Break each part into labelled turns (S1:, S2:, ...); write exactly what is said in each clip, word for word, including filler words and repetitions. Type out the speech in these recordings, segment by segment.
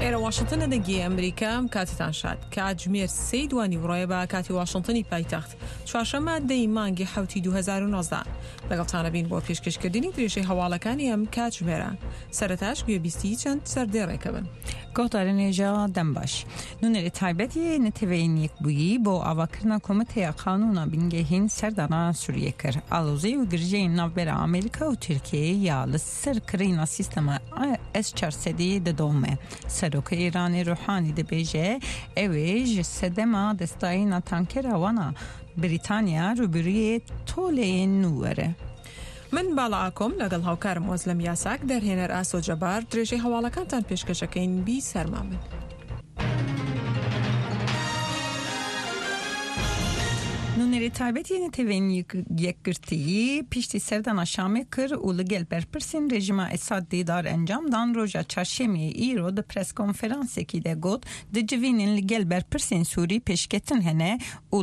S1: ئێرە واشنتنە دەنگی ئەمریکا کاتتان شاد. کاتژمێر سێی دوانی وڕۆیە بە کاتی واشنتنی پایتەخت، چوارشەممە دەی مانگی حەوتی دوو هەزار و نۆزدە. لەگەڵتانە بین بۆ پێشکەشکردنی درێژەی هەواڵەکانی ئەم کاتژمێرە. سەرەتاش گوێبیستی چەند سەردێڕێکە بن.
S2: گۆدارên hêja dembaş. Nûnerê taybet yê Neteweyên Yekbûyî bo avakirina Komîteya Qanûna Bingehîn serdana Sûriyê kir. Alozî û girjeyên navbera Amerîka û Tirkiyeyê ya li ser kirîna sîstema S çar sedî didome. Serokê Îranê Ruhanî dibêje ew ê ji sedema destdayîna tankera wan a Brîtanya rûbirûyê toleyên nû were.
S1: من باڵا ئاکۆم لەگەڵ هاوکارم وەزلم یاساک دەرهێنەر ئاسۆ جەبار درێژەی هەواڵەکانتان پێشکەشەکەین بی سەرما من.
S2: Nûnerê taybet yê Neteweyên Yekgirtiyî piştî serdana Şamê kir û li gel berpirsên rejîma Esad dîdar encam dan roja çarşemiyê îro di preskonferansekî de got di civînên li gel berpirsên Sûrî pêşketin hene û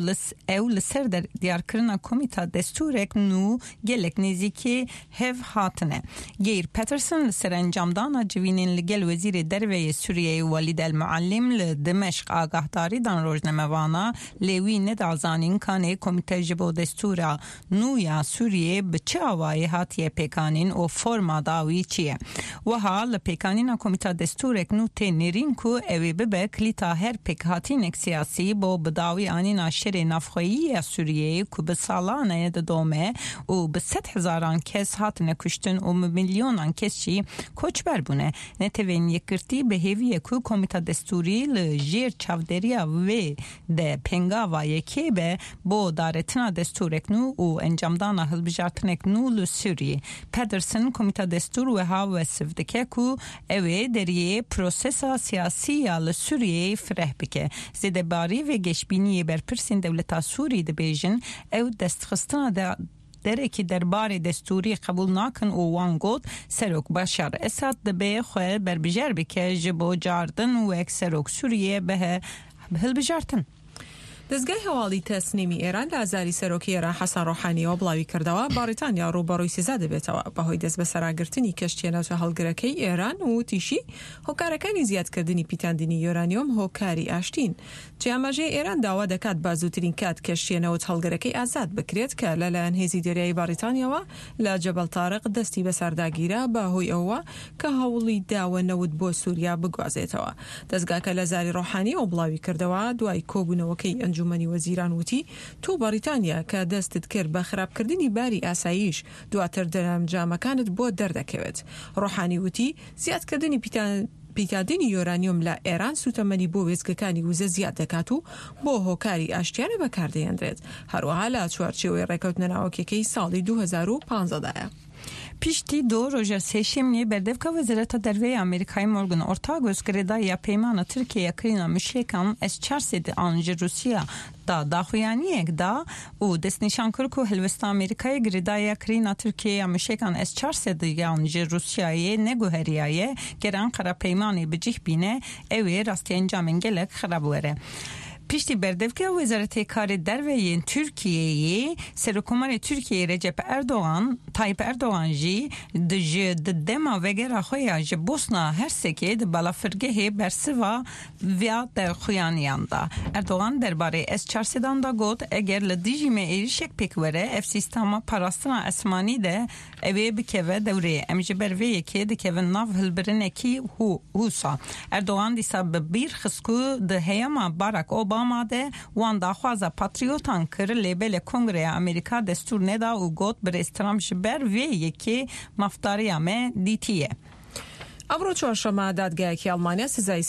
S2: ew li ser diyarkirina komîta destûrek nû gelek nêzîkê hev hatine. Geir Peterson li ser encamdana civînên li gel Wezîrê Derveyê Sûriyeyê Welîd El Muallim li Dimeşq agahdarî dan rojnamevana lê wî neda zanîn kanê komîte ji bo destûra nû ya Sûriyê bi çi awayê hatiye pêkanîn û forma dawî çi ye. Wiha li pêkanîna komîta destûrek nû tê nêrîn ku ew ê bibe kilîta her pêkhatînek siyasî bo bi dawî anîna şerê navxweyî ya Sûriyeyê ku bi salan e didome û bi sed hezaran kes hatine kuştin û bi milyonan kes jî koçber bûne. Neteweyên Yekgirtî bi hêviyê ku komîta destûrî li jêr çavdêriya wê de pêngava yekê be bo daretina destûrek nû û encamdana hilbijartinek nû li Sûriyê. Pedersen komîta destûr wiha wesif dike ku ew ê deriyê prosesa siyasî ya li Sûriyeyê fireh bike. Zêdebarî vê geşbîniyê berpirsên dewleta Sûrî dibêjin ew destxistina de derekî derbarê destûrî qebûl nakin û wan got Serok Başar Esad dibe xwe berbijer bike ji bo cardin wek Serok Sûriyê bihe hilbijartin.
S1: دەزگای هەواڵی تەسنیمی ئێران لە ئازاری سەرۆکی ئێران حەسەن ڕۆحانیەوە بڵاوی کردەوە بەڕیتانیا ڕووبەڕووی سزا دەبێتەوە بەهۆی دەست بەسەراگرتنی کەشتیە ناوچە هەڵگرەکەی ئێران و وتیشی هۆکارەکانی زیادکردنی پیتاندنی یۆرانیۆم هۆکاری ئاشتین. جێ ئاماژەی ئێران داوا دەکات با زووترین کات کەشتیە نەوت هەڵگرەکەی ئازاد بکرێت کە لەلایەن هێزی دەریایی بەڕیتانیاوە لە جەبەل تارق دەستی بەسەرداگیرا بەهۆی ئەوە کە هەوڵی داوە نەوت بۆ سووریا بگوازێتەوە. دەزگاکە لە زاری ڕۆحانیەوە بڵاوی کردەوە دوای کۆبوونەوەکەی ئەنجومەنی وەزیران وتی تۆ بەڕیتانیا کە دەستت کرد بە خراپکردنی باری ئاساییش دواتر دەرەنجامەکانت بۆ دەردەکەوێت. ڕۆحانی وتی زیادکردنی پیتاندنی یۆرانیۆم لە ئێران سوتەمەنی بۆ وێستگەکانی وزە زیاد دەکات و بۆ هۆکاری ئاشتیانە بەکاردەهێنرێت، هەروەها لە چوارچێوەی ڕێکەوتنە ناوەکیەکەی ساڵی دوو هەزار و پانزەدایە.
S2: Piştî du roja sêşemiyê berdevka Wezareta Derveyê Amerîkayê Morgan Ortagus girêdayiya peymana Tirkiyeya kirîna mûşekan S çar sed an ji Rûsya da daxuyaniyek da û destnîşan kir ku helwesta Amerîkayê girêdayiya kirîna Tirkiyeya mûşekan S çar sed yan ji Rûsyayê neguheriyaye ger Ankara peymanê bi cih bîne ew ê rastî encamên gelek xerab were. Piştî berdevka Wezaretê Karê Derveyên Tirkiyeyê Serokkomarê Tirkiyeyê Recep Erdoğan Tayyip Erdoğan jî ji di dema vegera xwe ya ji Bosna Hersekê di balafirgehê bersiva via derxuyaniyan da. Erdoğan derbarê S çar sedan da got eger li dijî me êrişek pêk were ev sîstema parastina esmanî de ew ê bikeve dewrê. Em ji ber vê yekê dikevin nav hilbirinekî hûsa. Erdoğan dîsa bi bîr xist ku di heyama Barack Obama de wan daxwaza patriotan kir lê belê Kongreya Amerîka destûr neda û got birêz Trump ji ber vê yekê mafdariya me dîtiye.
S1: ئەمڕۆ چوارشەممە دادگایەکی ئەڵمانیا سزای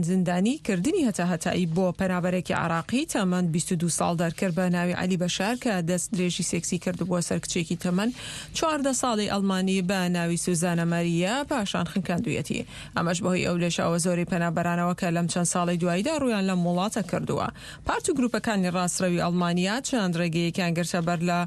S1: زیندانی کردنی هەتا هەتایی بۆ پەنابەرێکی عراقی تەمەن بیست و دوو ساڵ دەرکرد بە ناوی عەلی بەشار کە دەست درێژی سێکسی کردبووە سەر کچێکی تەمەن چواردە ساڵی ئەڵمانی بە ناوی سوزانە ماریا پاشان خنکاندوویەتی. ئەمەش بەهۆی ئەو لێشاوە زۆری پەنابەرانەوە کە لەم چەند ساڵی دواییدا ڕوویان لەم وڵاتە کردووە. پارت و گروپەکانی ڕاستڕەوی ئەڵمانیا چەند ڕێگەیەکیان گرتە بەر لە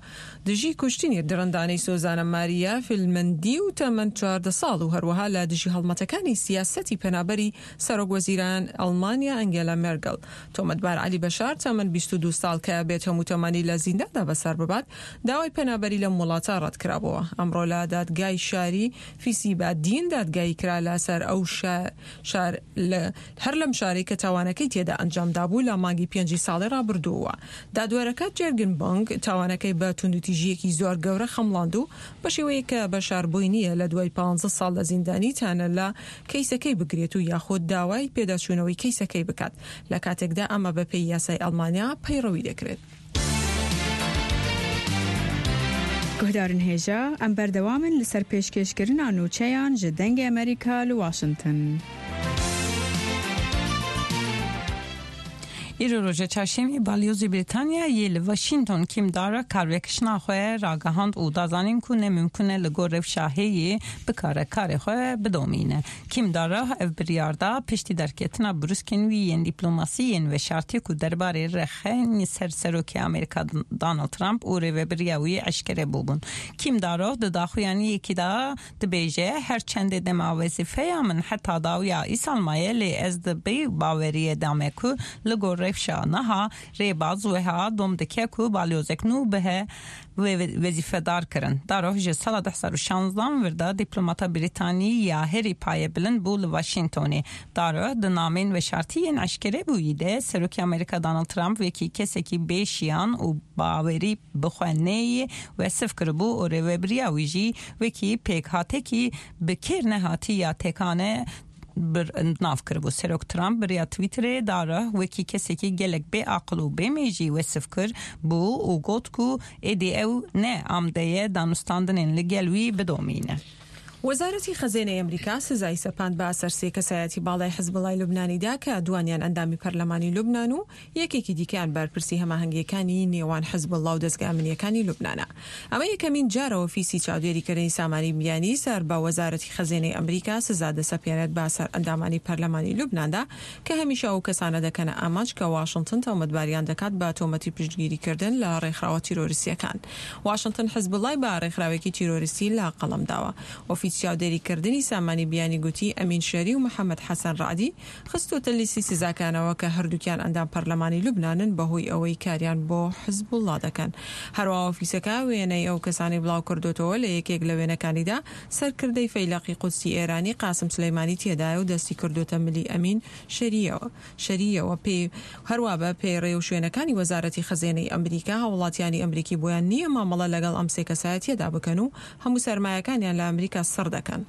S1: دژی کوشتنی دڕندانەی سوزانە ماریا فیلمەندی و تەمەن چواردە ساڵ و هەروەها لە دژی هەڵمەتەکانی سیاسەتی پەنابەری سەرۆک وەزیران ئەڵمانیا ئەنگێلا مێرگل. تۆمەتبار عەلی بەشار تەمەن بیست و دوو ساڵ کە بێت هەموو تەمەنی لە زینداندا بەسەر ببات، داوای پەنابەری لەم وڵاتە ڕەتکرابەوە. ئەمڕۆ لە دادگای شاری فیسیبادین دادگایی کرا لەسەر ئەو شار هەر لەم شارەی کە تاوانەکەی تێدا ئەنجامدا بوو لە مانگی پێنجی ساڵی ڕابردووە. دادوەرەکە جێرگن بۆنگ تاوانەکەی بە توندوتیژیەکی زۆر گەورە خەمڵاند و بە شێوەیەک کە بەشار بۆی نییە لە دوای پانزە ساڵ لە زیندانی تانە لە کەیسەکەی بگرێت و یاخود داوای پێداچوونەوەی کەیسەکەی بکات، لە کاتێکدا ئەمە بەپێی یاسای ئەڵمانیا پەیڕەوی دەکرێت.
S3: گوهدارن هێژا ئەم بەردەوامن لەسەر پێشکێشکردنا نوچەیان ji دەنگê ئەمریکا li Washington.
S2: ئیرۆ ڕۆژە چارشەمê balyozê Brîtanya yê li Washington Kim Darroch karvekişina xwe ragihand û da zanîn ku ne mümkün e li gor rewşa heyê bikare karê xwe bidomîne. Kim Darroch ev biryar da piştî derketina brûskên wî yên dîplomasî yên veşartî ku derbarê rexên ser serokê Amerîka Donald Trump û rêveberiya wî eşkere bûbûn. Kim Darroch di daxuyaniyekî da dibêje her çendê dema wezîfeya min heta dawiya îsal maye lê ez di bê baweriyê da me ku li gor rewşa niha rêbaz weha dom dike ku balyozek nû bihe wezîfedar kirin. Darroch ji sala du hezar û şanzdan vir da dîplomata Brîtanî ya herî paye bilind bû li Washingtonê. Darroch di namên veşartî yên eşkere bûyî de Serokê Amerîka Donald Trump wekî kesekî bêşiyan û bawerî bi xwe neyê wesif kiribû û rêveberiya wî jî wekî pêkhatekî bi kêr nehatî ya tekane nav kiribû. Serok Trump biriya Twitterê Darroch wekî kesekî gelek bêaqil û bêmêjî wesif kir bû û got ku êdî ew ne amdeye danûstandinên li gel wî bidomîne.
S1: وەزارەتی خەزێنەی ئەمریکا سزای سەپاند بە سەر سێ کەسایەتی باڵای حزبوڵای لوبنانیدا کە دوانیان ئەندامی پەرلەمانی لوبنان و یەکێکی دیکەیان بەرپرسی هەماهەنگیەکانی نێوان حزبوڵا و دەزگا ئەمنیەکانی لوبنانە. ئەمە یەکەمین جارە ئۆفیسی چاودێریکردنی سامانی بیانی سەر بە وەزارەتی خەزێنەی ئەمریکا سزا دەسەپێنێت بە سەر ئەندامانی پەرلەمانی لوبناندا کە هەمیشە ئەو کەسانە دەکەنە ئامانج کە واشنگتن تۆمەتباریان دەکات بە تۆمەتی پشتگیریکردن لە ڕێکخراوە تیرۆریستیەکان. واشنگتن حزبوڵای بە ڕێکخراوێکی تیرۆریستی لە قەڵەم داوە. ئۆفیس چاودێریکردنی سامانی بیانی گوتی ئەمین شەری و محەممەد حەسەن ڕعدی خستۆتە لیستی سزاکانەوە کە هەردووکیان ئەندام پەرلەمانی لوبنانن بەهۆی ئەوەی کاریان بۆ حزبوڵا دەکەن. هەروەها ئۆفیسەکە وێنەی ئەو کەسانی بڵاو کردوتەوە لە یەکێک لە وێنەکانیدا سەرکردەی فەیلەقی قودسی ئێرانی قاسم سولەیمانی تێدایە و دەستی کردوتە ملی ئەمین شەریەوە شەریەوە پێ هەروە بە پێڕێ و شوێنەکانی وەزارەتی خەزێنەی ئەمریکا هاوڵاتیانی ئەمریکی بۆیان نییە مامەڵە لەگەڵ ئەم سێ کەسایەتیەدا بکەن و هەموو سەرمایەکانیان لە ئەمریکا سڕ دەکەن.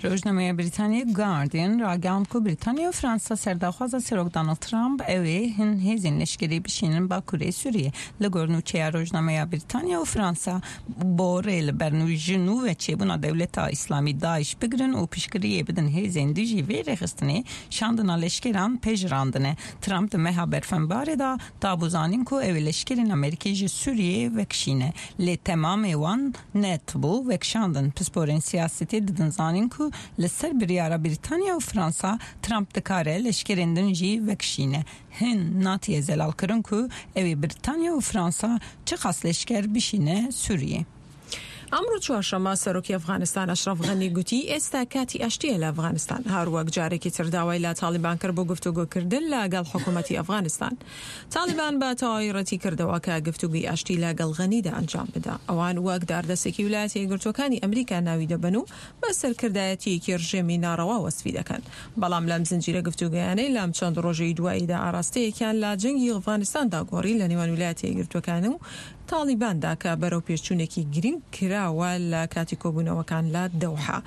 S2: Rojnameya Brîtanya Guardian ragihand ku Brîtanya û Fransa serdaxwaza Serok Donald Trump ew ê hin hêzên leşkerî bişînin Bakurê Sûriyê. Li gor nûçeya Rojnameya Brîtanya û Fransa bo rê li ber ji nû ve çêbûna Dewleta Îslamî DAIŞ bigirin û piştgiriyê bidin hêzên dijî vê rêxistinê şandina leşkeran pejirandine. Trump di meha berfenbarê da dabû zanîn ku ew ê leşkerên Amerîkî ji Sûriyê vekişîne. Lê temamê wan netbû vekişandin. Pisporên siyasetê didin zanîn ku li ser biryara Brîtanya û Fransa Trump dikare leşkerên din jî vekişîne. Hin natiye zelal kirin ku ew ê Brîtanya û Fransa çi qas leşker bişîne Sûriyê.
S1: ئەمڕۆ چوارشەممە سەرۆکی ئەفغانستان ئەشرەف غەنی گوتی ئێستا کاتی ئاشتیە لە ئەفغانستان. هەروەک جارێکی تر داوای لە تاڵیبان کرد بۆ گفتوگۆکردن لەگەڵ حکوومەتی ئەفغانستان. تاڵیبان بە تەواوی ڕەتی کردەوە کە گفتوگۆی ئاشتی لەگەڵ غەنیدا ئەنجام بدا. ئەوان وەک داردەستێکی ویلایەتە یەکگرتووەکانی ئەمریکا ناوی دەبەن و بە سەرکردایەتیەکی ڕژێمی ناڕەوا وەسفی دەکەن. بەڵام لەم زنجیرە گفتوگۆیانەی لەم چەند ڕۆژەی دواییدا ئاراستەیەکیان لە جەنگی ئەفغانستاندا گۆڕی لە نێوان ویلایەتە یەکگرتووەکان و تاڵیباندا کە بەرەو پێشچوونێکی گرنگ کراوە لە کاتی کۆبوونەوەکان لە دەوحە.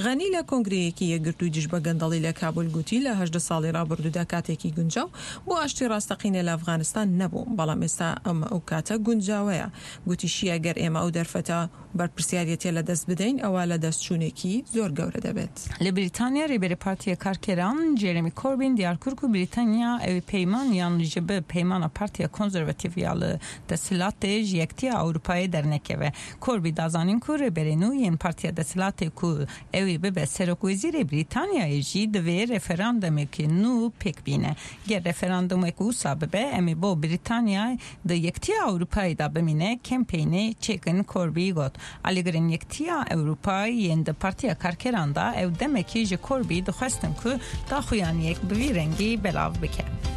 S1: غەنی لە کۆنگرەیەکی یەکگرتووی دژ بە گەندەڵی لە کابول گوتی لە هەژدە ساڵی ڕابردوودا کاتێکی گونجاو بۆ ئاشتی ڕاستەقینە لە ئەفغانستان نەبوو، بەڵام ئێستا ئەمە ئەو کاتە گونجاوەیە. گوتیشی ئەگەر ئێمە ئەو دەرفەتە بەرپرسیارەتیە لە دەست بدەین ئەوە لە دەستچوونێکی زۆر گەورە دەبێت.
S2: لە بریتانیا ڕێبەری پارتیە کارکەران جێرمی کۆربین دیار کرد ku بریتانیا ئەو پەیمان یان ji bi peymana Partiya Konservatîf ya li desthilatê ji Yekîtiya Ewropayê dernekeve. Corbyn da zanîn ku rêberê nû yên Partiya Desthilatê ku ew ê bibe serokwezîrê Brîtanyayê jî divê referandumekê nû pêk bîne. Ger referandumek wisa bibe em ê bo Brîtanya di Yekîtiya Ewropayê de bimîne kempeynê çêkin Corbyn got. Alîgirên Yekîtiya Ewropayê yên di Partiya Karkeran de ew demekî ji Corbyn dixwestin ku daxuyaniyek bi vî rengî belav bike.